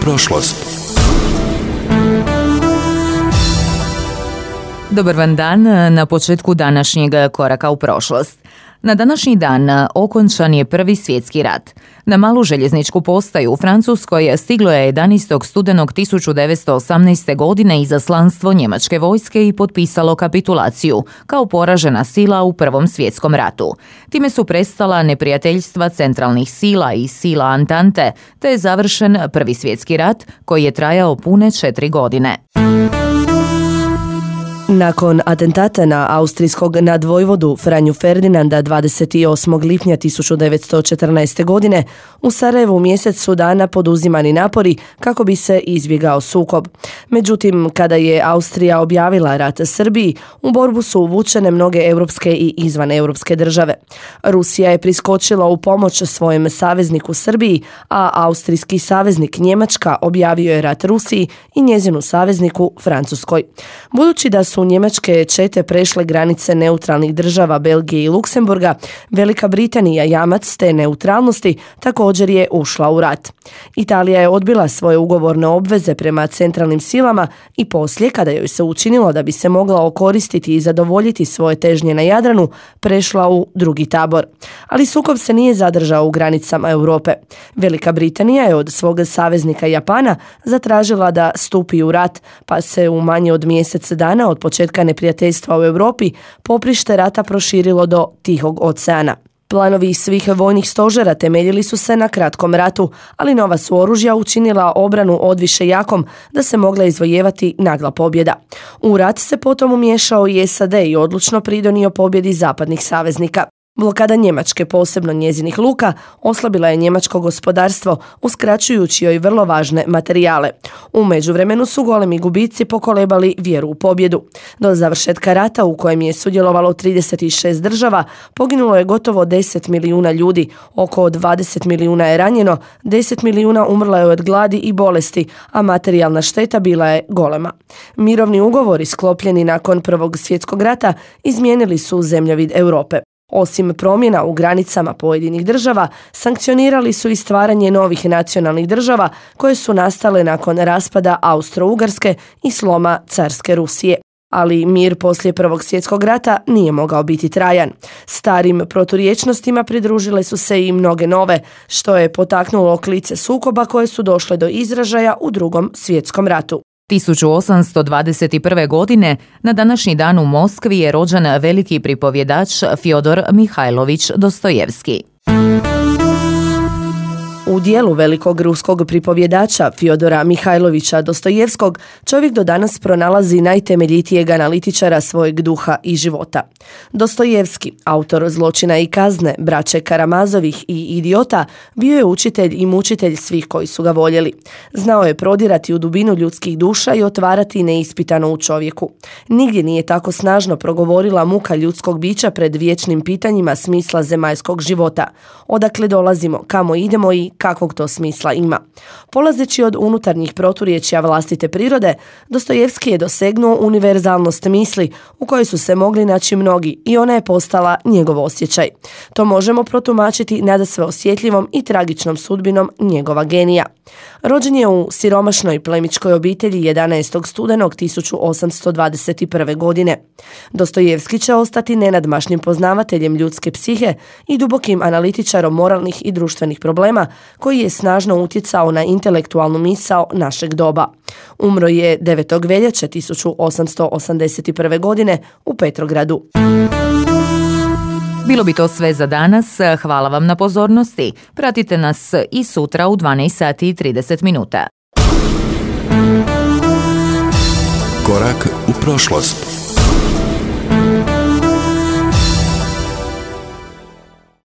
prošlost. Dobar vam dan na početku današnjeg koraka u prošlost. Na današnji dan okončan je Prvi svjetski rat. Na malu željezničku postaju u Francuskoj stiglo je 11. studenog 1918. godine izaslanstvo njemačke vojske i potpisalo kapitulaciju kao poražena sila u Prvom svjetskom ratu. Time su prestala neprijateljstva centralnih sila i sila Antante, te je završen Prvi svjetski rat koji je trajao pune 4 godine. Nakon atentata na austrijskog nadvojvodu Franju Ferdinanda 28. lipnja 1914. godine u Sarajevu mjesec su dana poduzimani napori kako bi se izbjegao sukob. Međutim, kada je Austrija objavila rat Srbiji, u borbu su uvučene mnoge europske i izvaneuropske države. Rusija je priskočila u pomoć svojem savezniku Srbiji, a austrijski saveznik Njemačka objavio je rat Rusiji i njezinu savezniku Francuskoj. Budući da su njemačke čete prešle granice neutralnih država Belgije i Luksemburga, Velika Britanija, jamac te neutralnosti, također je ušla u rat. Italija je odbila svoje ugovorne obveze prema centralnim silama i poslije, kada joj se učinilo da bi se mogla okoristiti i zadovoljiti svoje težnje na Jadranu, prešla u drugi tabor. Ali sukob se nije zadržao u granicama Europe. Velika Britanija je od svog saveznika Japana zatražila da stupi u rat, pa se u manje od mjesec dana od početka neprijateljstva u Europi poprište rata proširilo do Tihog oceana. Planovi svih vojnih stožera temeljili su se na kratkom ratu, ali nova su oružja učinila obranu odviše jakom da se mogla izvojevati nagla pobjeda. U rat se potom umiješao i SAD i odlučno pridonio pobjedi zapadnih saveznika. Blokada Njemačke, posebno njezinih luka, oslabila je njemačko gospodarstvo, uskraćujući joj vrlo važne materijale. U međuvremenu su golemi gubici pokolebali vjeru u pobjedu. Do završetka rata, u kojem je sudjelovalo 36 država, poginulo je gotovo 10 milijuna ljudi, oko 20 milijuna je ranjeno, 10 milijuna umrlo je od gladi i bolesti, a materijalna šteta bila je golema. Mirovni ugovori sklopljeni nakon Prvog svjetskog rata izmijenili su zemljovid Europe. Osim promjena u granicama pojedinih država, sankcionirali su i stvaranje novih nacionalnih država koje su nastale nakon raspada Austro-Ugarske i sloma carske Rusije. Ali mir poslije Prvog svjetskog rata nije mogao biti trajan. Starim proturječnostima pridružile su se i mnoge nove, što je potaknulo klice sukoba koje su došle do izražaja u Drugom svjetskom ratu. 1821. godine na današnji dan u Moskvi je rođen veliki pripovjedač Fjodor Mihajlović Dostojevski. U dijelu velikog ruskog pripovjedača Fjodora Mihajlovića Dostojevskog čovjek do danas pronalazi najtemeljitijeg analitičara svojeg duha i života. Dostojevski, autor Zločina i kazne, Braće Karamazovih i Idiota, bio je učitelj i mučitelj svih koji su ga voljeli. Znao je prodirati u dubinu ljudskih duša i otvarati neispitano u čovjeku. Nigdje nije tako snažno progovorila muka ljudskog bića pred vječnim pitanjima smisla zemaljskog života. Odakle dolazimo, kamo idemo i kakvog to smisla ima. Polazeći od unutarnjih proturječja vlastite prirode, Dostojevski je dosegnuo univerzalnost misli u kojoj su se mogli naći mnogi i ona je postala njegov osjećaj. To možemo protumačiti nadasve osjetljivom i tragičnom sudbinom njegova genija. Rođen je u siromašnoj plemićkoj obitelji 11. studenog 1821. godine. Dostojevski će ostati nenadmašnim poznavateljem ljudske psihe i dubokim analitičarom moralnih i društvenih problema koji je snažno utjecao na intelektualnu misao našeg doba. Umro je 9. veljače 1881. godine u Petrogradu. Bilo bi to sve za danas. Hvala vam na pozornosti. Pratite nas i sutra u 12 sati i 30 minuta. Korak u prošlost.